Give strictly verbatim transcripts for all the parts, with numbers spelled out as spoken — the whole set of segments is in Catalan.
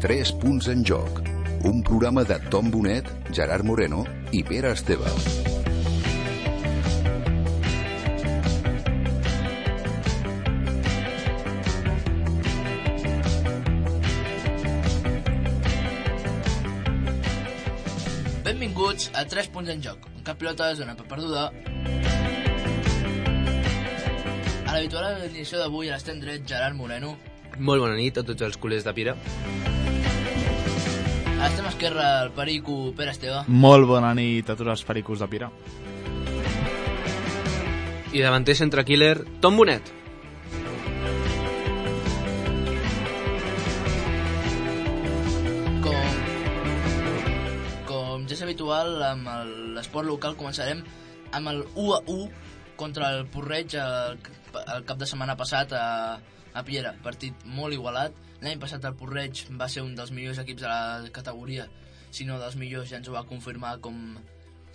Tres punts en joc, un programa de Tom Bonet, Gerard Moreno i Pere Esteve. Benvinguts a Tres punts en joc, un cap pilota de zona per perduda. A l'habitual edició d'avui a l'estem dret, Gerard Moreno. Molt bona nit a tots els culers de Pira. A l'estem esquerra, el perico Pere Esteve. Molt bona nit a tots els pericos de Pira. I davanter centre killer, Tom Bonet. Com, com ja és habitual, amb l'esport local començarem amb el u a u contra el Porreig el, el cap de setmana passat a, a Piera. Partit molt igualat. L'any passat el Porreig va ser un dels millors equips de la categoria, si no dels millors. Ja ens ho va confirmar, com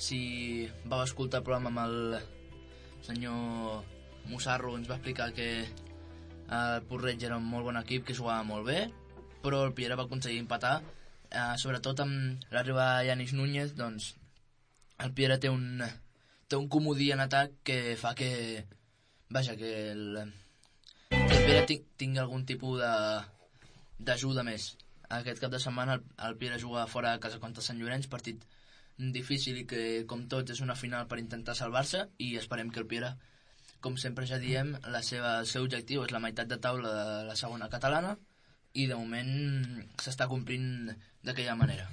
si vau escoltar el programa amb el senyor Musarro, ens va explicar que el Porreig era un molt bon equip, que jugava molt bé, però el Piera va aconseguir empatar, eh, sobretot amb l'arribada de Yanis Núñez. Doncs el Piera té un, té un comodí en atac que fa que, vaja, que el, que el Piera tingui algun tipus de d'ajuda més. Aquest cap de setmana el, el Piera juga fora de casa contra Sant Llorenç, partit difícil i que, com tots, és una final per intentar salvar-se, i esperem que el Piera, com sempre ja diem, la seva, el seu objectiu és la meitat de taula de la segona catalana, i de moment s'està complint d'aquella manera.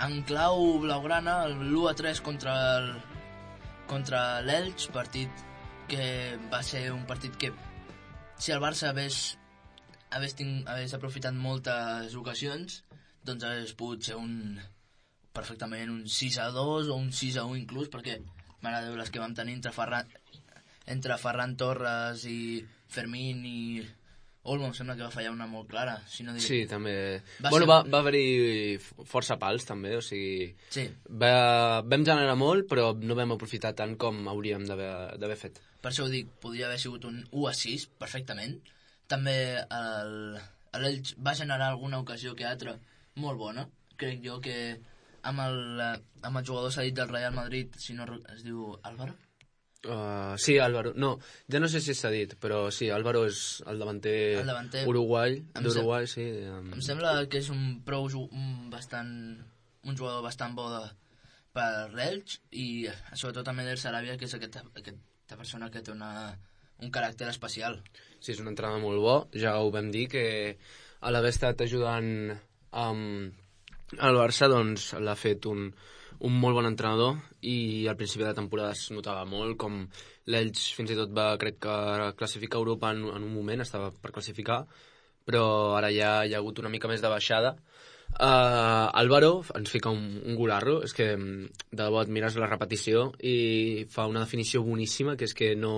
En clau blaugrana, l'u a tres contra el, contra l'Elx, partit que va ser un partit que, si el Barça hagués, hagués, ting, hagués aprofitat moltes ocasions, doncs hagués pogut ser un, perfectament un sis a dos o un sis a u inclús, perquè, mare de Déu, les que vam tenir entre Ferran, entre Ferran Torres i Fermín i Olmo, em sembla que va fallar una molt clara, si no dic... Sí, també. Va bueno, ser... va, va haver-hi força pals, també, o sigui... Sí. Va, vam generar molt, però no vam aprofitar tant com hauríem d'haver fet. Per això ho dic, podria haver sigut un u a sis, perfectament. També l'Elx va generar alguna ocasió que altra molt bona. Crec jo que amb el, amb el jugador cedit del Real Madrid, si no es diu Álvaro? Uh, sí, Álvaro. No, ja no sé si s'ha dit, però sí, Álvaro és el davanter, el davanter Uruguai, d'Uruguai, sí. Um... Em sembla que és un prou un, bastant, un jugador bastant bo de, per l'Elx, i sobretot també del Sarabia, que és aquesta, aquesta persona que té una, un caràcter especial. Sí, és un entrenador molt bo. Ja ho vam dir, que a l'haver estat ajudant um, al Barça, doncs l'ha fet un un molt bon entrenador, i al principi de la temporada es notava molt com l'Elx fins i tot va, crec que, classificar Europa en, en un moment, estava per classificar, però ara ja hi ha hagut una mica més de baixada. Uh, Álvaro ens fica un, un golarro, és que de debò et mires la repetició i fa una definició boníssima, que és que no,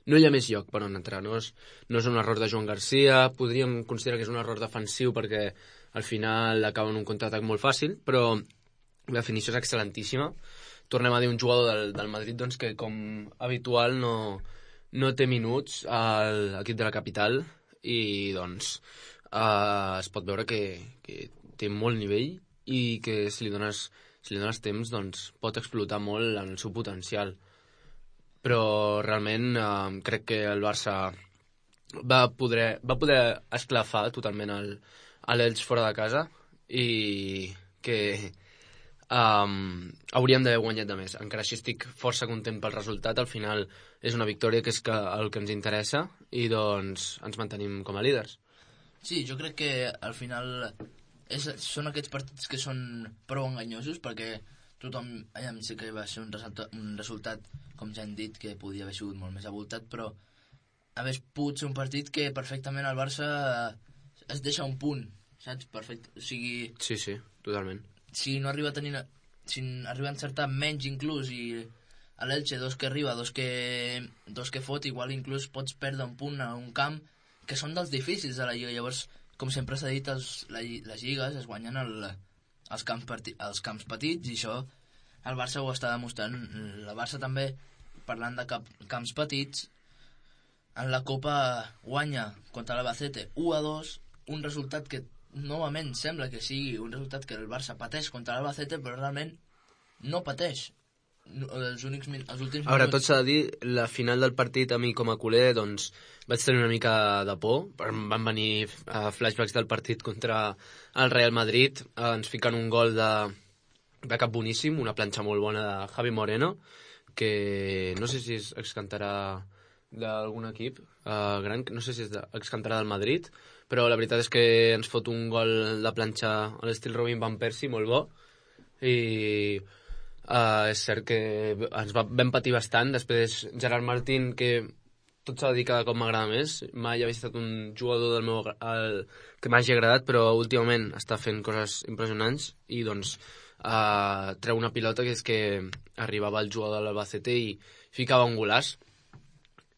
no hi ha més lloc per on entrar, no és, no és un error de Joan Garcia, podríem considerar que és un error defensiu perquè al final acaba en un contraatac molt fàcil, però la definició és excel·lentíssima. Tornem a dir un jugador del, del Madrid, doncs, que com habitual no, no té minuts a l'equip de la capital, i doncs uh, es pot veure que, que té molt nivell i que si li dones, si li dones temps, doncs, pot explotar molt el seu potencial. Però realment uh, crec que el Barça va poder, va poder esclafar totalment el, l'Elx fora de casa, i que Um, hauríem d'haver guanyat de més. Encara així estic força content pel resultat. Al final és una victòria que és que el que ens interessa, i doncs ens mantenim com a líders. Sí, jo crec que al final és, són aquests partits que són prou enganyosos, perquè tothom, allà sí que va ser un resultat, un resultat, com ja hem dit, que podia haver sigut molt més abultat, però hagués pogut ser un partit que perfectament el Barça es deixa un punt, saps? Perfecte. O sigui... Sí, sí, totalment. Si no arriba a tenir, si arriba a encertar menys inclús, i a l'Elche dos que arriba, dos que, dos que fot, igual inclús pots perdre un punt a un camp que són dels difícils de la Lliga. Llavors com sempre s'ha dit, els, la, les lligues es guanyen el, els, camps parti, els camps petits, i això el Barça ho està demostrant. La Barça també, parlant de cap, camps petits, en la Copa guanya contra l'Albacete u a dos, un resultat que novament sembla que sigui un resultat que el Barça pateix contra l'Albacete, però realment no pateix. Els, únics, els últims Ara, minuts... tot s'ha de dir, la final del partit a mi com a culer, doncs vaig tenir una mica de por. Van venir uh, flashbacks del partit contra el Real Madrid, uh, ens fiquen un gol de, de cap boníssim, una planxa molt bona de Javi Moreno, que no sé si es excantarà d'algun equip uh, gran, no sé si es de, excantarà del Madrid, però la veritat és que ens fot un gol de planxa a l'estil Robin Van Persie, molt bo, i uh, és cert que ens va, vam patir bastant. Després Gerard Martín, que tot s'ha de dir cada cop m'agrada més, mai havia estat un jugador del meu, el, que m'hagi agradat, però últimament està fent coses impressionants, i doncs uh, treu una pilota que és que arribava el jugador de l'Albacete i ficava un golaç,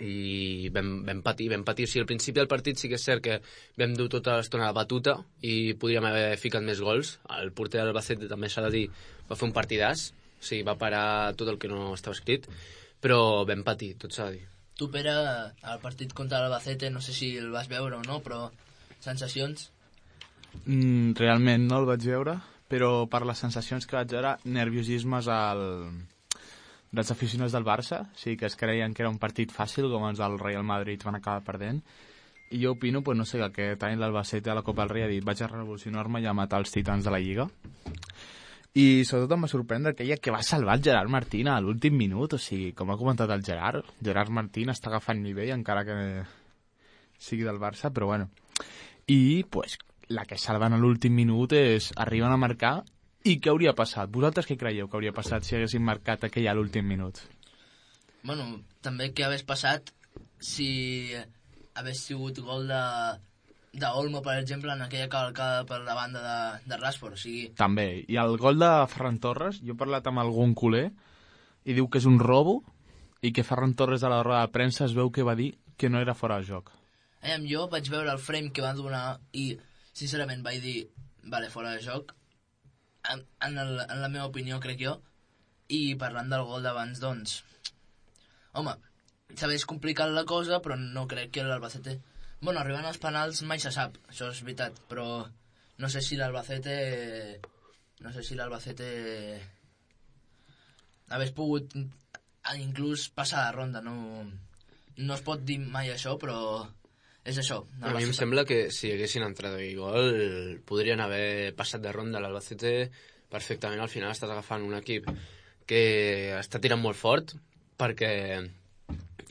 i vam, vam patir, vam patir. O sigui, al principi del partit sí que és cert que vam dur tota l'estona la batuta i podríem haver ficat més gols. El porter de l'Albacete, també s'ha de dir, va fer un partidàs, o sigui, va parar tot el que no estava escrit, però vam patir, tot s'ha de dir. Tu, Pere, el partit contra l'Albacete, no sé si el vas veure o no, però sensacions? Mm, realment no el vaig veure, però per les sensacions que vaig veure, nerviosismes al... dels aficionats del Barça, sí que es creien que era un partit fàcil, com els del Real Madrid van acabar perdent, i jo opino, pues, no sé, que aquest any l'Albacete a la Copa del Rei ha dit vaig a revolucionar-me i a matar els titans de la Lliga, i sobretot em va sorprendre aquella que va salvar el Gerard Martín a l'últim minut. O sigui, com ha comentat el Gerard, Gerard Martín està agafant nivell encara que sigui del Barça, però bueno, i pues, la que salven a l'últim minut és arriben a marcar. I què hauria passat? Vosaltres què creieu que hauria passat si haguessin marcat aquell a l'últim minut? Bueno, també què hagués passat si hagués sigut gol de, de Olmo, per exemple, en aquella cavalcada per la banda de, de Rashford, o sigui... També, i el gol de Ferran Torres, jo he parlat amb algun culer i diu que és un robo i que Ferran Torres a la roda de premsa es veu que va dir que no era fora de joc. Eh, jo vaig veure el frame que van donar i, sincerament, vaig dir, vale, fora de joc, En, en, el, en la meva opinió, crec jo. I parlant del gol d'abans, doncs, home, s'hagués complicat la cosa, però no crec que l'Albacete... Bueno, arribant als penals mai se sap, això és veritat, però no sé si l'Albacete... No sé si l'Albacete... hagués pogut inclús passar de ronda, no... No es pot dir mai això, però... És això. A mi em sembla que si haguessin entrat aquell gol podrien haver passat de ronda. L'Albacete perfectament al final estàs agafant un equip que està tirant molt fort perquè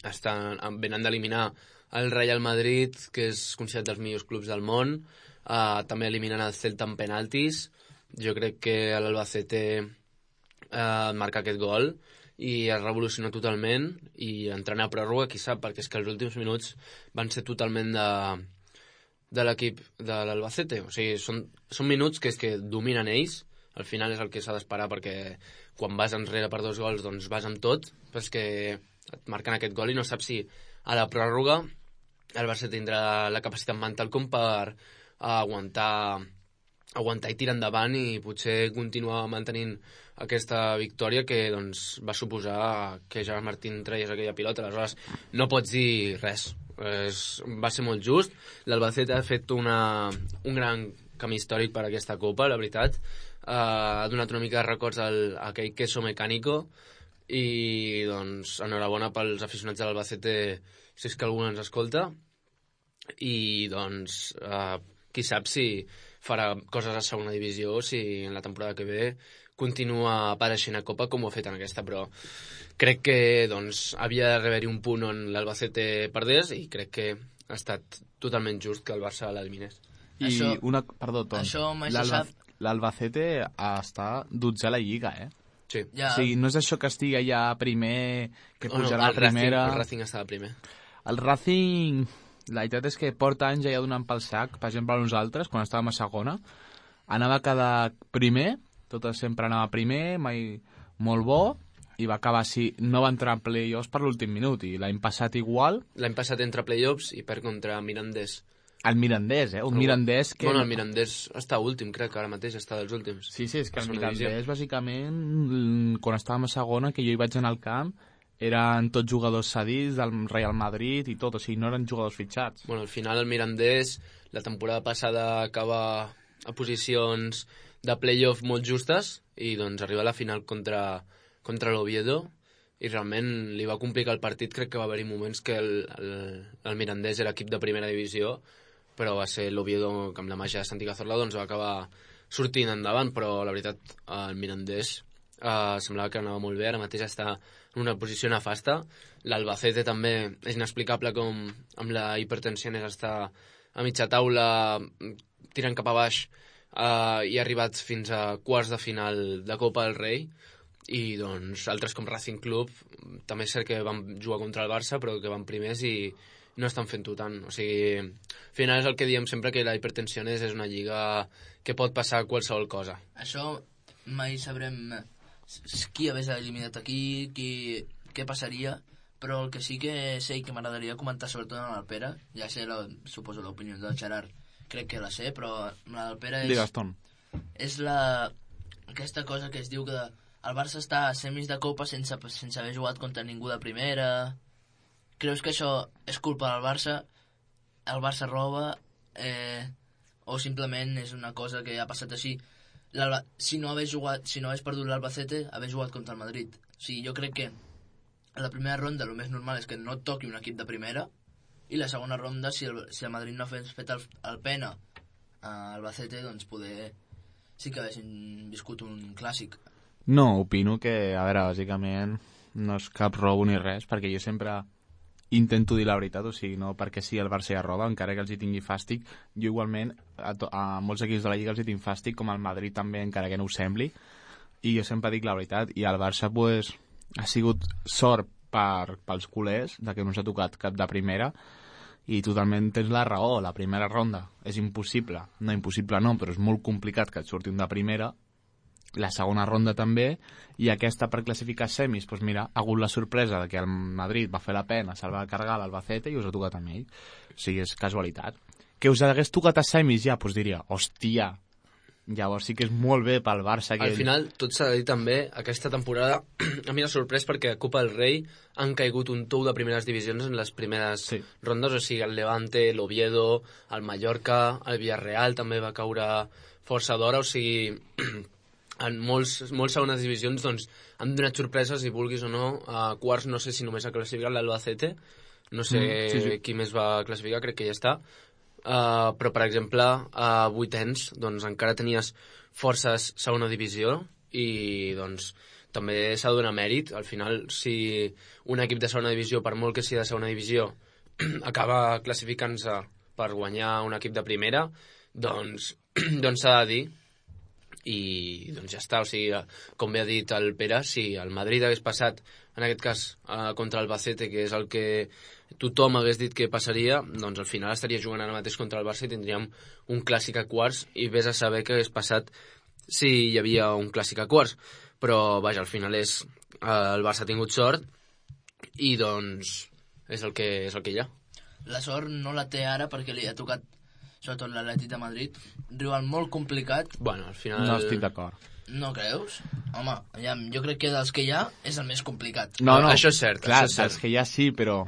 estan, venen d'eliminar el Real Madrid, que és considerat dels millors clubs del món, uh, també eliminen el Celta en penaltis. Jo crec que l'Albacete uh, marca aquest gol i es revoluciona totalment, i entrant a pròrroga, qui sap, perquè és que els últims minuts van ser totalment de, de l'equip de l'Albacete. O sigui, són, són minuts que és que dominen ells, al final és el que s'ha d'esperar, perquè quan vas enrere per dos gols, doncs vas amb tot, però és que et marquen aquest gol i no saps si a la pròrroga el Barça tindrà la capacitat mental com per aguantar aguantar i tirar endavant i potser continuar mantenint aquesta victòria que doncs, va suposar que Gerard Martín traies aquella pilota. Aleshores no pots dir res, es, va ser molt just. L'Albacete ha fet una, un gran camí històric per aquesta Copa, la veritat. Uh, ha donat una mica de records al, a aquell queso mecánico, i doncs enhorabona pels aficionats de l'Albacete si és que algú ens escolta, i doncs uh, qui sap si farà coses a segona divisió, si en la temporada que ve continua apareixent a Copa com ho ha fet en aquesta, però crec que doncs, havia d'haver-hi un punt on l'Albacete perdés, i crec que ha estat totalment just que el Barça l'eliminés. I això, una... Perdó, Tom. Això mai se sap. L'Albacete està dotzè a la Lliga, eh? Sí. Ja. O sigui, no és això que estigui allà primer, que pujarà oh, no, a primera... El Racing estava primer. El Racing, la veritat és que porta anys ja donant pel sac. Per exemple, nosaltres, quan estàvem a segona, anava a quedar primer, tot sempre anava primer, mai molt bo, i va acabar així. No va entrar en play-offs per l'últim minut, i l'any passat igual. L'any passat entra play-offs i perd contra Mirandés El Mirandés, eh? Un Però, Mirandés que... Bueno, el Mirandés està últim, crec que ara mateix està dels últims. Sí, sí, és que el Segona Mirandés, divisió. bàsicament, quan estàvem a segona, que jo hi vaig anar al camp, eren tots jugadors cedits del Real Madrid i tot, o sigui, no eren jugadors fitxats. Bueno, al final el Mirandés, la temporada passada acaba a posicions de play-off molt justes i doncs arriba a la final contra, contra l'Oviedo i realment li va complicar el partit. Crec que va haver-hi moments que el, el, el Mirandés era equip de primera divisió, però va ser l'Oviedo que amb la màgia de Santi Cazorla doncs va acabar sortint endavant, però la veritat el Mirandés eh, semblava que anava molt bé, ara mateix està en una posició nefasta. L'Albacete també és inexplicable com amb la hipertensió és estar a mitja taula tirant cap a baix eh, i ha arribat fins a quarts de final de Copa del Rei i doncs altres com Racing Club també és cert que van jugar contra el Barça però que van primers i no estan fent-ho tant, o sigui, al final és el que diem sempre, que la hipertensió és una lliga que pot passar qualsevol cosa. Això mai sabrem qui hagués eliminat aquí, qui, què passaria, però el que sí que sé i que m'agradaria comentar sobretot amb el Pere, ja sé, la, suposo l'opinió del Gerard, crec que la sé, però la del Pere és, Digues-te'n. és la, aquesta cosa que es diu que el Barça està a semis de Copa sense, sense haver jugat contra ningú de primera. Creus que això és culpa del Barça? El Barça roba? Eh, o simplement és una cosa que ha passat així? Si no hagués jugat, si no hagués perdut l'Albacete, hagués jugat contra el Madrid. O sigui, jo crec que a la primera ronda el més normal és que no et toqui un equip de primera i la segona ronda, si el, si el Madrid no hagués fet el, el pena a Albacete, doncs poder sí que haguessin viscut un clàssic. No, opino que, a veure, bàsicament no és cap robo ni res, perquè jo sempre intento dir la veritat, o sigui, no perquè sí el Barça ja roba, encara que els hi tingui fàstic. Jo igualment, a, to a molts equips de la Lliga els hi tinc fàstic, com el Madrid també, encara que no ho sembli, i jo sempre dic la veritat. I el Barça, pues, ha sigut sort per, pels culers, de que no s'ha tocat cap de primera, i totalment tens la raó, la primera ronda és impossible, no impossible no, però és molt complicat que et surti un de primera, la segona ronda també, i aquesta per classificar semis, doncs mira, ha hagut la sorpresa de que el Madrid va fer la pena, se'l va carregar l'Albacete i us ha tocat amb ell. O sigui, és casualitat. Que us hagués tocat a semis ja, doncs diria, hòstia, llavors sí que és molt bé pel Barça. Que al final, tot s'ha de dir també, aquesta temporada a mi m'ha sorprès perquè a Copa del Rei han caigut un tou de primeres divisions en les primeres sí. rondes, o sigui, el Levante, l'Oviedo, el Mallorca, el Villarreal també va caure força d'hora, o sigui, en molts, molts segones divisions doncs, han donat sorpreses, si vulguis o no. A quarts no sé si només ha classificat l'Albacete, no sé mm, sí, sí. qui més va classificar, crec que ja està. Uh, però, per exemple, a vuitens doncs, encara tenies forces segona divisió i doncs, també s'ha de donar mèrit. Al final, si un equip de segona divisió, per molt que sigui de segona divisió, acaba classificant-se per guanyar un equip de primera, doncs doncs s'ha de dir. I doncs ja està, o sigui, com bé ha dit el Pere, si el Madrid hagués passat en aquest cas eh, contra el Albacete, que és el que tothom hagués dit que passaria, doncs al final estaria jugant ara mateix contra el Barça i tindríem un clàssic a quarts i vés a saber què hagués passat si hi havia un clàssic a quarts, però vaja, al final és eh, el Barça ha tingut sort i doncs és el que, és el que hi ha. La sort no la té ara perquè li ha tocat sobretot l'Atlètic de Madrid, rival molt complicat. Bueno, al final... No estic d'acord. No creus? Home, ja, jo crec que dels que hi ha és el més complicat. No, no, això és cert. Clar, això és cert. dels que hi ha sí, però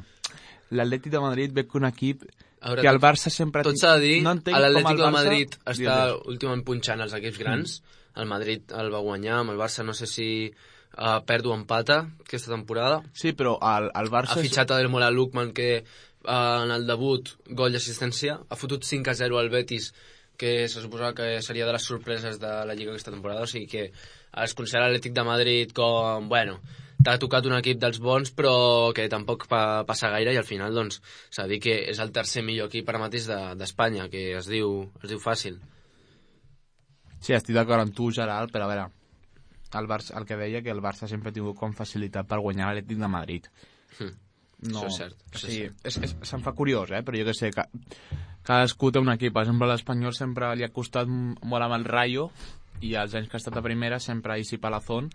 l'Atlètic de Madrid ve que un equip veure, que el Barça sempre... Tot s'ha de dir, no l'Atlètic de Barça... Madrid està Digues. últimament punxant els equips grans. Mm. El Madrid el va guanyar, amb el Barça no sé si uh, perd o empata aquesta temporada. Sí, però el, el Barça... Ha fitxat a Del Moral Lukman, que en el debut, gol d'assistència, ha fotut cinc a zero al Betis, que se suposava que seria de les sorpreses de la Lliga aquesta temporada, o sigui que es considera l'Atlètic de Madrid com, bueno, t'ha tocat un equip dels bons, però que tampoc pa, passa gaire, i al final, doncs, s'ha de dir que és el tercer millor equip ara mateix d'Espanya, de, que es diu, es diu fàcil. Sí, estic d'acord amb tu, Gerald, però a veure, el, Barça, el que deia que el Barça sempre ha tingut com facilitat per guanyar l'Atlètic de Madrid. Mm. No, això és cert. Això sí, és cert. És, és, se'm fa curiós, eh? Però jo que sé, que, cadascú té un equip. Per exemple, l'Espanyol sempre li ha costat molt amb el Rayo i els anys que ha estat a primera sempre Isi Palazón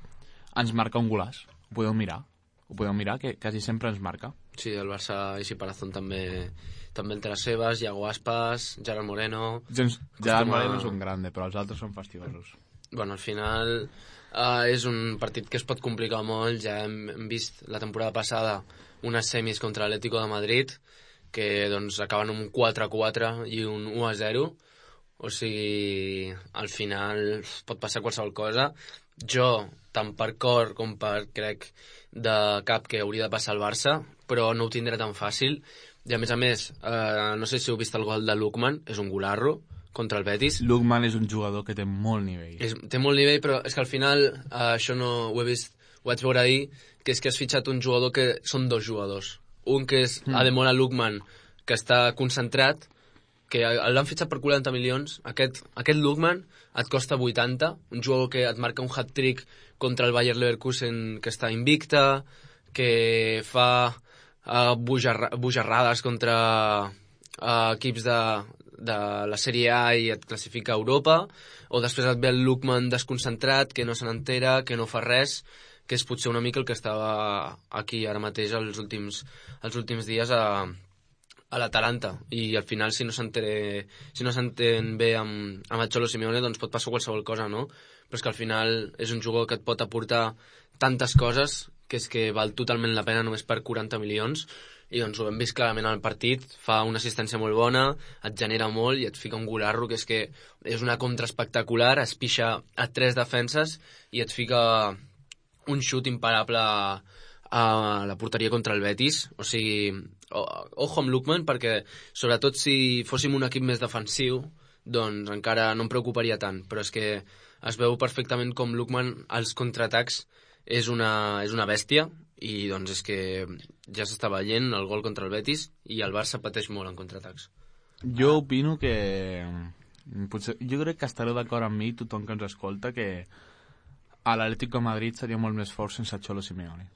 ens marca un golaç. Ho podeu mirar. ho podeu mirar, que quasi sempre ens marca. Sí, el Barça i Parazón també també entre les seves, Iago Aspas, Gerard Moreno... Gens, Gerard Moreno és un grande, però els altres són fastidiosos. Bueno, al final uh, és un partit que es pot complicar molt. Ja hem, hem vist la temporada passada unes semis contra l'Atlético de Madrid que doncs acaben amb un quatre a quatre i un u a zero. O sigui, al final pot passar qualsevol cosa. Jo, tant per cor com per, crec, de cap que hauria de passar el Barça, però no ho tindré tan fàcil. I a més a més, eh, no sé si heu vist el gol de Lookman, és un golarro contra el Betis. Lookman és un jugador que té molt nivell. És, té molt nivell, però és que al final, eh, això no ho he vist, ho vaig veure ahir, que és que has fitxat un jugador que són dos jugadors. Un que és mm. Ademola Lookman, que està concentrat, que l'han fitxat per quaranta milions. Aquest, aquest Lookman et costa vuitanta, un jugador que et marca un hat-trick contra el Bayer Leverkusen, que està invicta, que fa uh, bujarra, bujarrades contra uh, equips de, de la Sèrie A i et classifica a Europa, o després et ve el Lookman desconcentrat, que no se n'entera, que no fa res, que és potser una mica el que estava aquí ara mateix els últims, els últims dies a a l'Atalanta, i al final si no s'entén si no s'entén bé amb, amb el Cholo Simeone, doncs pot passar qualsevol cosa, no? Però és que al final és un jugador que et pot aportar tantes coses que és que val totalment la pena només per quaranta milions, i doncs ho hem vist clarament al partit. Fa una assistència molt bona, et genera molt i et fica un golarro que és que és una contra espectacular, es pixa a tres defenses i et fica un xut imparable a la porteria contra el Betis. O sigui, ojo amb Lookman, perquè sobretot si fóssim un equip més defensiu, doncs encara no em preocuparia tant, però és que es veu perfectament com Lookman als contraatacs és una, és una bèstia, i doncs és que ja s'està veient el gol contra el Betis i el Barça pateix molt en contraatacs. Jo opino que potser, jo crec que estareu d'acord amb mi, tothom que ens escolta, que a l'Atlético de Madrid seria molt més fort sense Cholo Simeone.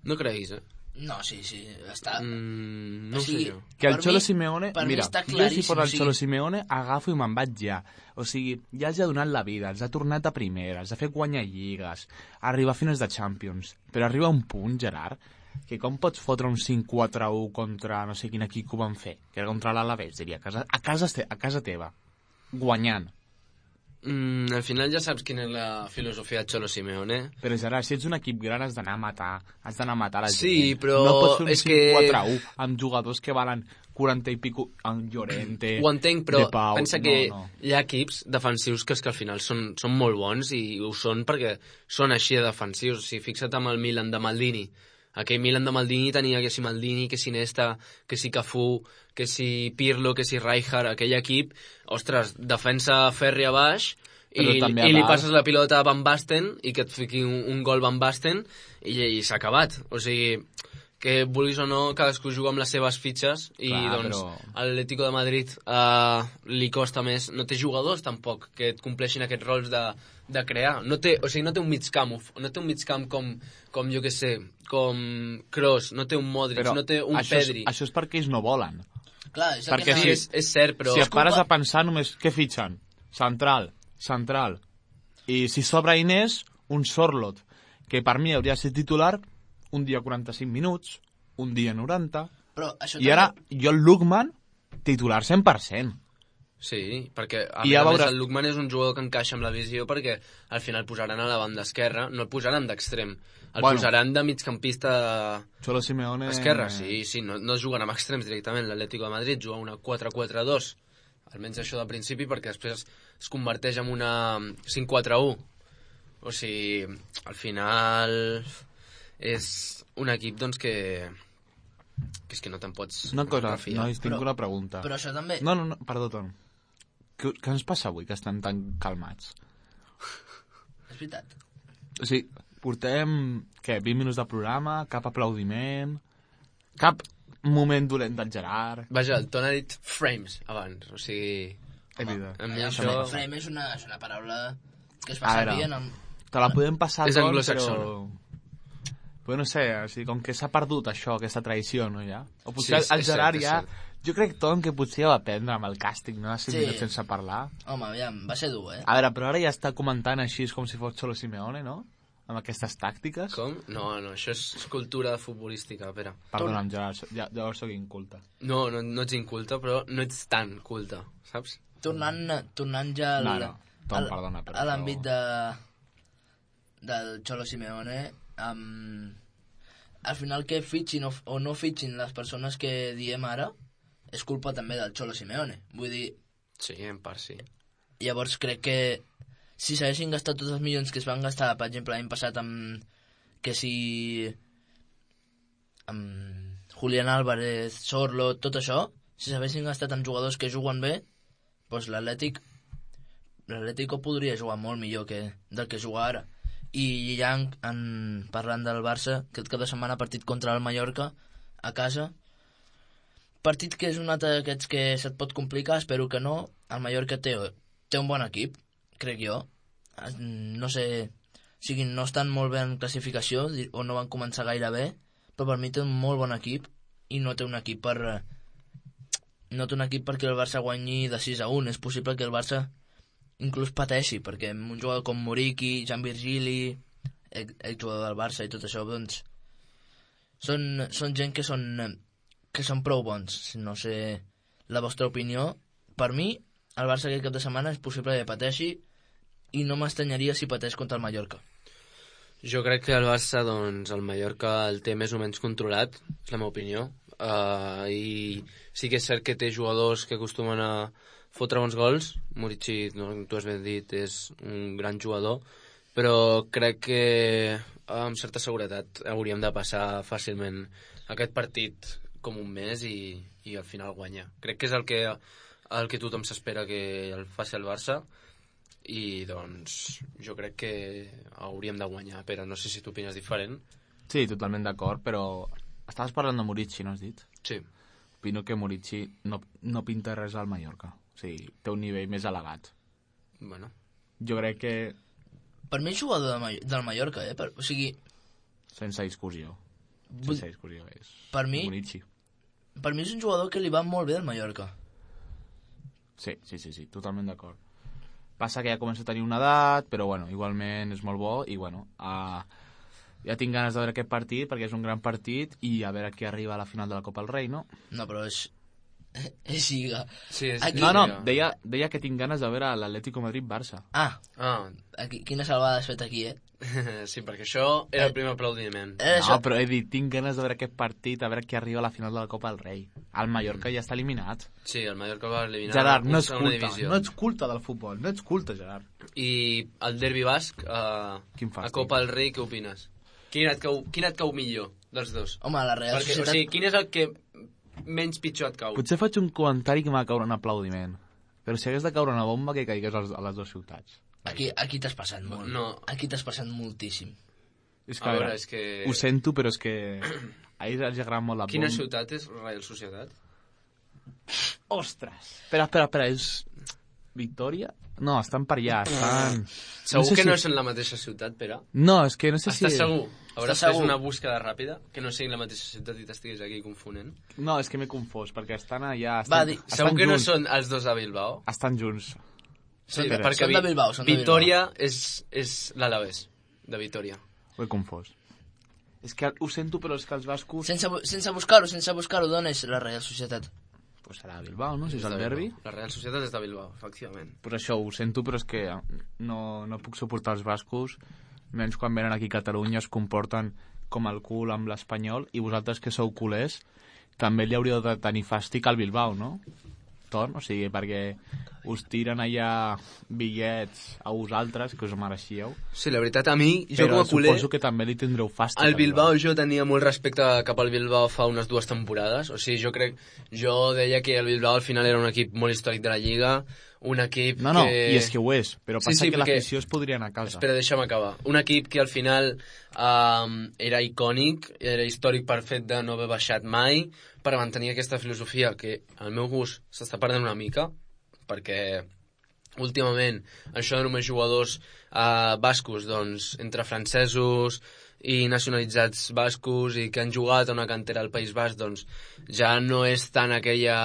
No creguis, eh? No, sí, sí, està... Mm, no o sigui, sé jo. Que el per Cholo mi- Simeone... per mi Mira, està jo si claríssim, fos el o sigui- Cholo Simeone agafo i me'n vaig ja. O sigui, ja els ha donat la vida, els ha tornat a primera, els ha fet guanyar lligues, arribar a finals de Champions. Però arriba un punt, Gerard, que com pots fotre un cinc quatre u contra no sé quin equip que ho van fer, que era contra l'Alavés, diria, a casa, a casa, te- a casa teva, guanyant. Mm, al final ja saps quina és la filosofia de Cholo Simeone. Però Gerard, si ets un equip gran has d'anar a matar, has d'anar a matar la gent. Sí, però no pots fer un és cinc que- quatre u amb jugadors que valen quaranta i pico, amb Llorente, Ho entenc, però De Pau. pensa que no, no. hi ha equips defensius que, és que al final són, són molt bons, i ho són perquè són així de defensius. O sigui, fixa't amb el Milan de Maldini. Aquell Milan de Maldini tenia que si Maldini, que si Nesta, que si Cafú, que si Pirlo, que si Rijkaard. Aquell equip, ostres, defensa fèrria baix, Però i, també a i li dalt. passes la pilota a Van Basten i que et fiqui un, un gol Van Basten i, i s'ha acabat. O sigui, que vulguis o no, cadascú juga amb les seves fitxes, i Clar, doncs però- a l'Atlético de Madrid eh, li costa més. No té jugadors tampoc que et compleixin aquests rols de, de crear. No té, o sigui, no té un mig camp, no té un mig camp com, com jo que sé, com Kroos, no té un Modric, Però no té un això és, Pedri. això és perquè ells no volen. Clar, és el Perquè que Sí, anava- és, és cert, però... si et culpa- pares a pensar, només què fitxen? Central, central. I si sobra Inés, un Sorlot, que per mi hauria de ser titular un dia quaranta-cinc minuts, un dia noranta, Però això i ara jo el Lookman, titular cent per cent. Sí, perquè a I més ja a més veuràs- el Lookman és un jugador que encaixa amb la visió, perquè al final posaran a la banda esquerra, no el posaran d'extrem, el Bueno. posaran de migcampista Cholo Simeone... esquerra, sí, sí, no, no juguen amb extrems directament. L'Atlético de Madrid juga una quatre quatre dos, almenys això de principi, perquè després es converteix en una cinc quatre u. O sigui, al final és un equip doncs que que és que no te'n pots Una cosa, refiar. nois, tinc Però- una pregunta. Però això també... No, no, no, perdó, Ton. Què, què ens passa avui, que estan tan calmats? És veritat. O sigui, portem, què, vint minuts de programa, cap aplaudiment, cap moment dolent del Gerard... Vaja, el Ton ha dit frames abans, o sigui... He dit, A mi Aviam, això... frame, frame és, una, és una paraula que es fa A veure. servir en el... te la podem passar, És Ton, anglosaxona. però... Però no sé, o sigui, com que s'ha perdut això, aquesta tradició, no, ja? O Sí, potser és- el és Gerard cert, és ja... cert. Jo crec, Ton, que potser va aprendre amb el càsting, no? De cinc Sí. minuts sense parlar. Home, aviam, va ser dur, eh? A veure, però ara ja està comentant així com si fos Cholo Simeone, no? amb aquestes tàctiques? Com? No, no, això és cultura futbolística, Pere. Perdona'm, Gerard, so- ja, llavors sóc inculte. No, no, no ets inculta, però no ets tan culta, saps? Tornant, tornant ja al, No, no, Tom, al- perdona, però a l'àmbit això- de, del Cholo Simeone, um, al final que fitxin o, o no fitxin les persones que diem ara, és culpa també del Cholo Simeone. Vull dir, Sí, en part sí. llavors crec que si s'haguessin gastat tots els milions que es van gastar, per exemple, l'any passat amb que si amb Julián Álvarez, Sorlo, tot això, si s'haguessin gastat amb jugadors que juguen bé, doncs l'Atlètic l'Atlético podria jugar molt millor que del que juga ara. I ja en, en, parlant del Barça, aquest cap de setmana partit contra el Mallorca a casa, partit que és un altre d'aquests que se't pot complicar, espero que no. El Mallorca té, té un bon equip, crec jo. No sé, o sigui, no estan molt bé en classificació o no van començar gaire bé, però per mi té un molt bon equip i no té un equip per no té un equip perquè el Barça guanyi de sis a un. És possible que el Barça inclús pateixi, perquè un jugador com Muriqui, Jan Virgili, exjugador del Barça i tot això, doncs són, són gent que són que són prou bons. No sé la vostra opinió. Per mi, el Barça aquest cap de setmana és possible que pateixi i no m'estranyaria si pateix contra el Mallorca. Jo crec que el Barça, doncs, el Mallorca el té més o menys controlat, és la meva opinió. Uh, I sí que és cert que té jugadors que acostumen a fotre bons gols. Muriqui, no, tu has ben dit, és un gran jugador, però crec que amb certa seguretat hauríem de passar fàcilment aquest partit com un mes i, i al final guanya. Crec que és el que, el que tothom s'espera que el faci el Barça i doncs jo crec que hauríem de guanyar. Però no sé si tu opines diferent. Sí, totalment d'acord, però estaves parlant de Muriqui, no has dit? Sí. Opino que Muriqui no, no pinta res al Mallorca. O sigui, té un nivell més elevat. Bueno. Jo crec que... Per mi és jugador de Ma- del Mallorca, eh? Per, o sigui... Sense discussió. Vull- Sense discussió, és... Per mi- Muriqui. Per mi és un jugador que li va molt bé al Mallorca. Sí, sí, sí, sí, totalment d'acord. Passa que ja comença a tenir una edat, però bueno, igualment és molt bo i bueno, uh, ja tinc ganes de veure aquest partit perquè és un gran partit i a veure qui arriba a la final de la Copa del Rei, no? No, però és... és Lliga. Sí, és, Aquí- No, no, Lliga. deia, deia que tinc ganes de veure l'Atlético Madrid-Barça. Ah, Ah, aquí, quina salvada has fet aquí, eh? sí, perquè això era el primer aplaudiment. Eh, No, això... però he dit, tinc ganes de veure aquest partit, a veure qui arriba a la final de la Copa del Rei. El Mallorca ja està eliminat. Sí, el Mallorca va eliminar Gerard, no una ets segona culte, divisió. no ets culte del futbol, no ets culte, Gerard. I el derbi basc, uh, Quin a fàstic. Copa del Rei, què opines? Quin et cau, quin et cau millor dels dos? Home, la Real Perquè, o Societat... sigui, quin és el que menys pitjor et cau? Potser faig un comentari que m'ha de caure un aplaudiment, però si hagués de caure una bomba, que caigués als- a les dues ciutats. Aquí, aquí t'has passat molt. No. Aquí t'has passat moltíssim. És A veure, és que... Ho sento, però és que a ells els agrada molt la Quina bomba. ciutat és Real Societat? Ostres! Espera, espera, espera, és... Victòria? No, estan per allà, estan... Segur sé que si- no són la mateixa ciutat, Pere? No, és que no sé Estàs si... segur? Hauràs Estàs fet segur? una búsqueda ràpida? Que no sigui la mateixa ciutat i t'estiguis aquí confonent? No, és que m'he confós, perquè estan allà... Va, Estan, di- estan Segur que no junts, són els dos a Bilbao? Estan junts. Sí, Són de- perquè són de Vi- Bilbao, són de Vitòria és, és l'Alavés, de Vitòria. Ho he confós. És que ho sento, però és que els bascos... Sense, bu- sense buscar-ho, sense buscar-ho, d'on és la Real Societat? Pues serà Bilbao, no? Si és de el Bilbao. derbi. La Real Societat és de Bilbao, efectivament. Pues això, ho sento, però és que no, no puc suportar els bascos, menys quan venen aquí a Catalunya es comporten com el cul amb l'Espanyol, i vosaltres que sou culers també li hauríeu de tenir fàstic al Bilbao, no? Torn, o sigui, perquè us tiren allà bitllets a vosaltres, que us ho mereixíeu, Sí, la veritat, a mi, jo però com a culer, suposo que també li tindreu fàstic. al al Bilbao jo tenia molt respecte cap al Bilbao fa unes dues temporades. O sigui, jo crec... Jo deia que el Bilbao al final era un equip molt històric de la Lliga, un equip No, no, que... i és que ho és, però Sí, passa sí, que perquè- l'afició es podria anar a casa. Espera, deixa'm acabar. Un equip que al final um, era icònic, era històric per fet de no haver baixat mai, per mantenir aquesta filosofia que, al meu gust, s'està perdent una mica, perquè últimament això de només jugadors uh, bascos, doncs, entre francesos i nacionalitzats bascos i que han jugat a una cantera al País Basc, doncs ja no és tant aquella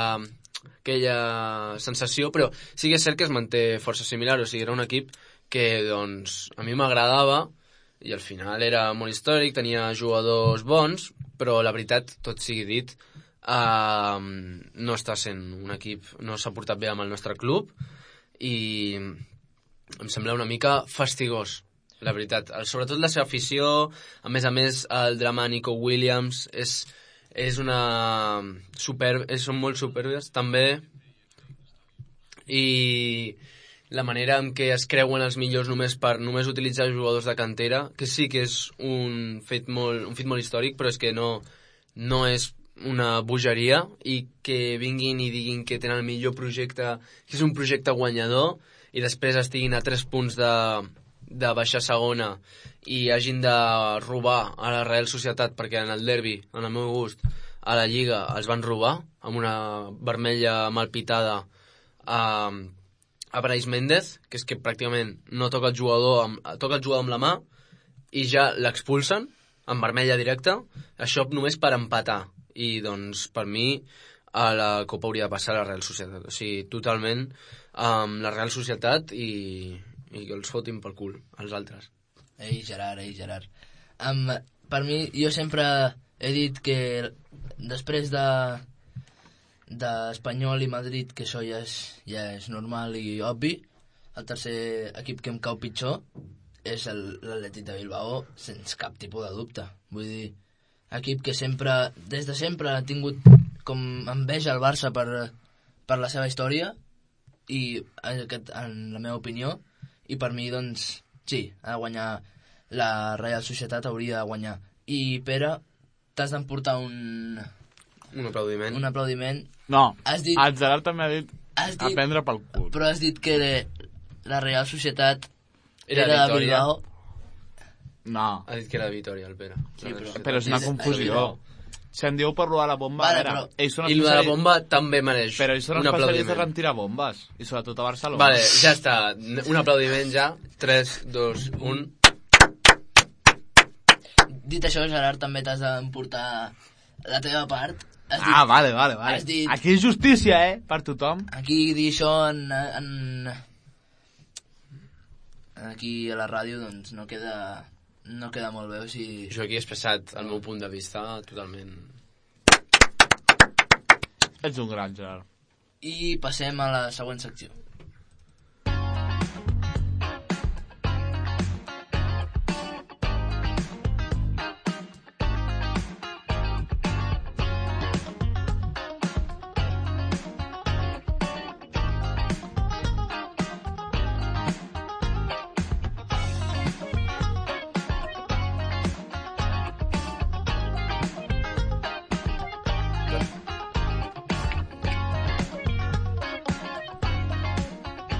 aquella sensació, però sí que és cert que es manté força similar, o sigui, era un equip que, doncs, a mi m'agradava i al final era molt històric, tenia jugadors bons, però la veritat, tot sigui dit, uh, no està sent un equip, no s'ha portat bé amb el nostre club i em sembla una mica fastigós, la veritat. Sobretot la seva afició, a més a més el drama Nico Williams és, és una superb, són molt superbes també, i la manera en què es creuen els millors només per només utilitzar jugadors de cantera, que sí que és un fet molt, un fet molt històric, però és que no, no és una bogeria, i que vinguin i diguin que tenen el millor projecte, que és un projecte guanyador, i després estiguin a tres punts de, de baixar segona i hagin de robar a la Real Societat, perquè en el derbi, en el meu gust, a la Lliga els van robar amb una vermella mal pitada a, a Brais Méndez, que és que pràcticament no toca el jugador amb, toca el jugador amb la mà i ja l'expulsen amb vermella directa, això només per empatar. I doncs per mi a la Copa hauria de passar la Real Societat, o sigui, totalment amb um, la Real Societat i, i que els fotin pel cul els altres. Ei Gerard, ei Gerard, um, per mi, jo sempre he dit que després de d'Espanyol i Madrid, que això ja és, ja és normal i obvi, el tercer equip que em cau pitjor és l'Atlètic de Bilbao, sense cap tipus de dubte. Vull dir, equip que sempre, des de sempre ha tingut com enveja al Barça per, per la seva història, i aquest, en la meva opinió, i per mi, doncs, sí, ha de guanyar la Real Societat, hauria de guanyar. I Pere, t'has d'emportar un... Un aplaudiment. Un aplaudiment. No, has dit, el Gerard també ha dit, has dit a prendre pel cul. Però has dit que la Real Societat era, era de Victòria. Bilbao. No. Ha dit que era de Victòria, el Pere. Sí, però, Però és una confusió. Si em diu per robar la bomba, vale, a veure, però... ells són I el de la bomba també mereix però ells són un especialistes aplaudiment. en tirar bombes, i sobretot a Barcelona. Vale, ja està. Un aplaudiment ja. tres, dos, un... Dit això, Gerard, també t'has d'emportar la teva part. Has dit, Ah, vale, vale, vale. has dit- Aquí és justícia, eh? Per tothom. Aquí dir això en, en... Aquí a la ràdio, doncs, no queda, no queda molt bé, o sigui... Jo aquí he expressat el meu punt de vista totalment... Ets un gran, Gerard. I passem a la següent secció.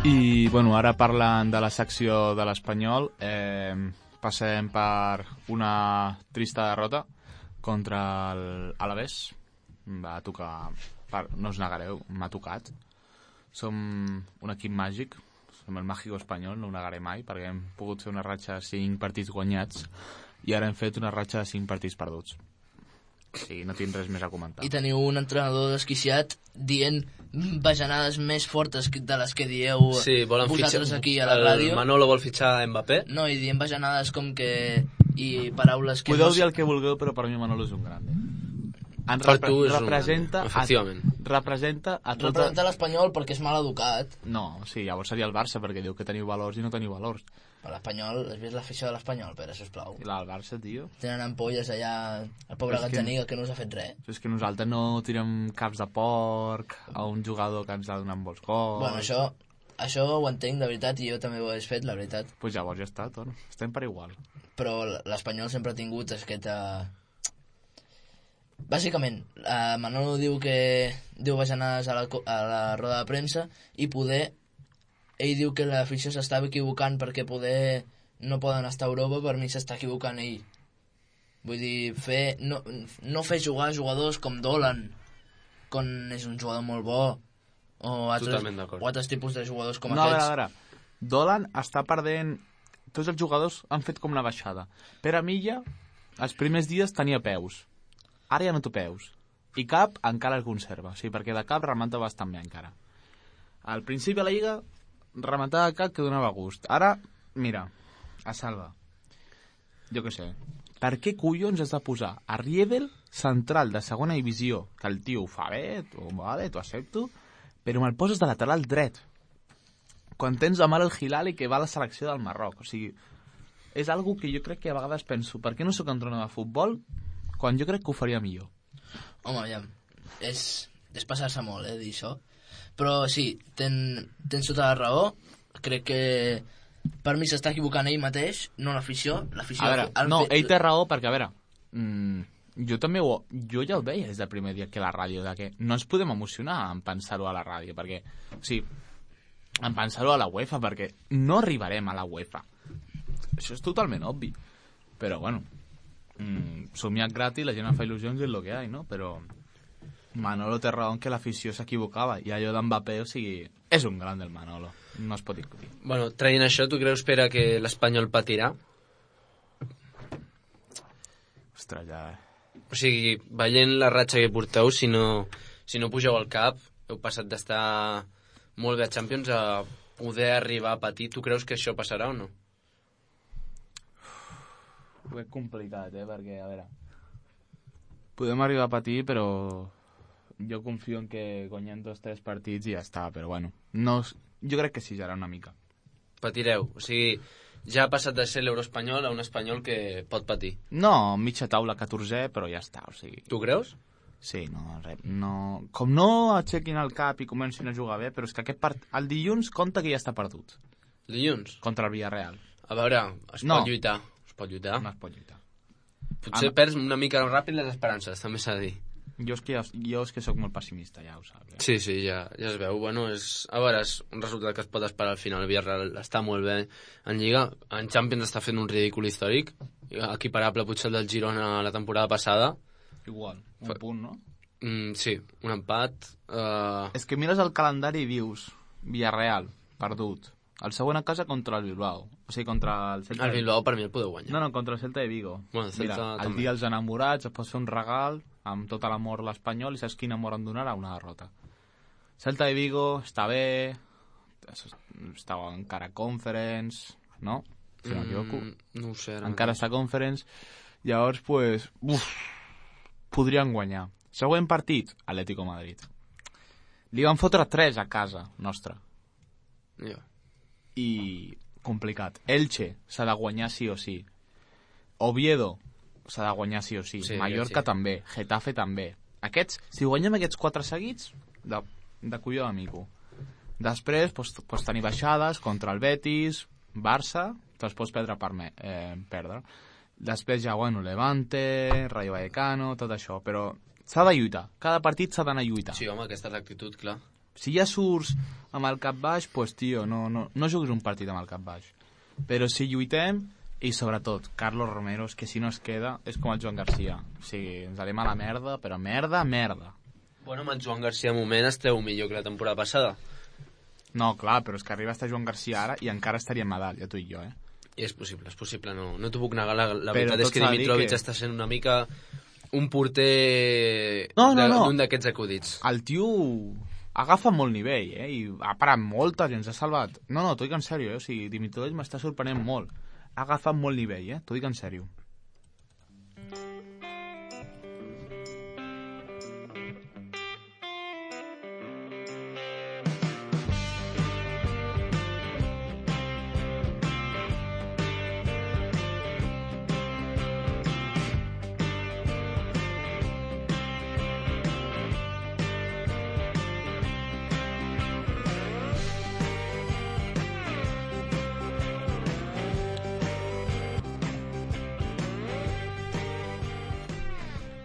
I, bueno, ara parlant de la secció de l'Espanyol, eh, passem per una trista derrota contra l'Alavés. Va tocar, per, no us negareu, m'ha tocat. Som un equip màgic, som el màgico espanyol, no ho negaré mai, perquè hem pogut fer una ratxa de cinc partits guanyats i ara hem fet una ratxa de cinc partits perduts. Sí, no tinc res més a comentar. I teniu un entrenador desquiciat dient bajanades més fortes de les que dieu Sí, volen vosaltres fitxar... aquí a la el ràdio. Manolo vol fitxar Mbappé? No, i dient bajanades com que... i paraules que... Podeu no... dir el que vulgueu, però per mi Manolo és un gran. Eh? En Per repre tu és un representa, gran, efectivament. A, representa a tota... Representa l'Espanyol perquè és mal educat. No, sí, llavors seria el Barça, perquè diu que teniu valors i no teniu valors. Per l'Espanyol, has vist l'afició de l'Espanyol, Pere, sisplau. I la del Barça, tio... Tenen ampolles allà, el pobre És que- Gazzaniga, que no us ha fet res. És que nosaltres no tirem caps de porc a un jugador que ens ha donat molts gols... Bueno, això, això ho entenc, de veritat, i jo també ho he fet, la veritat. Pues llavors ja està, tot. Estem per igual. Però l'Espanyol sempre ha tingut aquesta... Bàsicament, eh, Manolo diu que diu bajanades a la, co- a la roda de premsa i poder... Ell diu que l'afició s'estava equivocant perquè poder no poden estar a Europa, per mi s'està equivocant ell. Vull dir, fer, no, no fer jugar jugadors com Dolan, quan és un jugador molt bo, o altres, Totalment d'acord. o altres tipus de jugadors com no, a veure, aquests. a veure. Dolan està perdent... Tots els jugadors han fet com una baixada. Pere Milla, els primers dies tenia peus. Ara ja no té peus. I cap encara el conserva. O sigui, perquè de cap remata bastant bé encara. Al principi de la Lliga rematava cap que donava gust. Ara, mira, a salva. jo què sé, per què collons has de posar a Riedel central de segona divisió, que el tio ho fa bé, tu, vale, t'ho accepto, però me'l poses de lateral dret, quan tens a mal el Hilali que va a la selecció del Marroc. O sigui, és algo que jo crec que a vegades penso, per què no sóc entrenador de futbol quan jo crec que ho faria millor? Home, aviam, és, és passar-se molt, eh, dir això. Però sí, ten, tens tota la raó. Crec que per mi s'està equivocant ell mateix, no l'afició. L'afició A veure, han no, fet... ell té raó perquè, a veure, mmm, jo també ho, jo ja ho veia des del primer dia que la ràdio, de que no ens podem emocionar en pensar-ho a la ràdio, perquè, o sigui, en pensar-ho a la UEFA, perquè no arribarem a la UEFA. Això és totalment obvi. Però, bueno, mmm, somiat gratis, la gent fa il·lusions i és el que hi ha, no? Però Manolo té raó que l'afició s'equivocava, i allò d'Mbappé, o sigui, és un gran del Manolo, no es pot discutir. Bueno, traient això, tu creus, Pere, que l'Espanyol patirà? Ostres, ja... O sigui, veient la ratxa que porteu, si no, si no pugeu al cap, heu passat d'estar molt bé a Champions a poder arribar a patir. Tu creus que això passarà o no? Ho és complicat, eh, perquè, a veure... Podem arribar a patir, però jo confio en que guanyem dos o tres partits i ja està, però bueno, no, jo crec que sí, serà una mica. Patireu, o sigui, ja ha passat de ser l'Euroespanyol a un espanyol que pot patir. No, mitja taula catorzè, però ja està, o sigui... Tu creus? Sí, no, res, no... Com no aixequin el cap i comencin a jugar bé, però és que aquest part... el dilluns compta que ja està perdut. Dilluns? Contra el Villarreal. A veure, es no. pot lluitar. Es pot lluitar. No es pot lluitar. Potser ah, perds una mica ràpid les esperances, també s'ha de dir. Jo és que, jo és que sóc molt pessimista, ja ho saps. Ja. Sí, sí, ja, ja es veu. Bueno, és, a veure, és un resultat que es pot esperar al final. El Villarreal està molt bé en Lliga. En Champions està fent un ridícul històric, equiparable potser al del Girona la temporada passada. Igual, un Fa... punt, no? Mm, sí, un empat. Uh... És que mires el calendari i dius Villarreal, perdut. El següent a casa contra el Bilbao. O sigui, contra el Celta... El Bilbao per mi el podeu guanyar. No, no, contra el Celta de Vigo. Bueno, el Celta Mira, el també. dia dels enamorats es pot fer un regal amb tot l'amor a l'Espanyol i saps quin amor em donarà? Una derrota. Celta de Vigo està bé, està encara Conference, no? Si no m'equivoco. Mm, no ho sé. Encara està Conference. Llavors, pues, uf, podrien guanyar. Següent partit, Atlético Madrid. Li van fotre tres a casa nostra. Ja. Yeah. I complicat. Elche s'ha de guanyar sí o sí. Oviedo s'ha de guanyar sí o sí. Sí, Mallorca sí. també. Getafe també. Aquests, si guanyem aquests quatre seguits, de, de colló d'amico. Després pots, pots tenir baixades contra el Betis, Barça, te'ls pots perdre per me, eh, perdre. Després ja, bueno, Levante, Rayo Vallecano, tot això. Però s'ha de lluitar. Cada partit s'ha d'anar a lluitar. Sí, home, aquesta és l'actitud, clar. Si ja surts amb el cap baix, pues, tio, no, no, no juguis un partit amb el cap baix. Però si lluitem, i sobretot, Carlos Romero, és que si no es queda, és com el Joan Garcia. O sigui, ens anem a la merda, però merda, merda. Bueno, amb el Joan Garcia, al moment, esteu millor que la temporada passada. No, clar, però és que arriba a estar Joan Garcia ara i encara estaria en medalla, tu i jo, eh? I és possible, és possible, no, no t'ho puc negar. La, la Però veritat és que tot s'ha de dir Dimitrovic que- està sent una mica un porter No, no, de- no. d'un d'aquests acudits. El tio agafa molt nivell, eh? I ha parat molta gent, s'ha salvat. No, no, t'ho dic en sèrio, eh? O sigui, Dimitrovic m'està sorprenent molt. Ha agafat molt nivell, eh? T'ho dic en sèrio.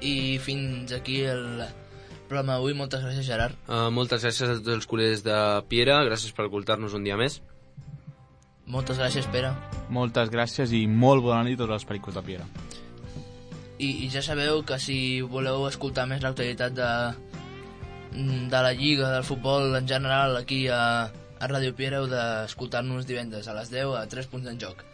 I fins aquí el programa d'avui. Moltes gràcies, Gerard. Uh, moltes gràcies a tots els culers de Piera, gràcies per escoltar-nos un dia més. Moltes gràcies, Pere. Moltes gràcies i molt bona nit a tots els pericos de Piera. I, I ja sabeu que si voleu escoltar més l'actualitat de, de la Lliga, del futbol en general, aquí a, a Ràdio Piera, heu d'escoltar-nos divendres a les deu a tres punts en joc.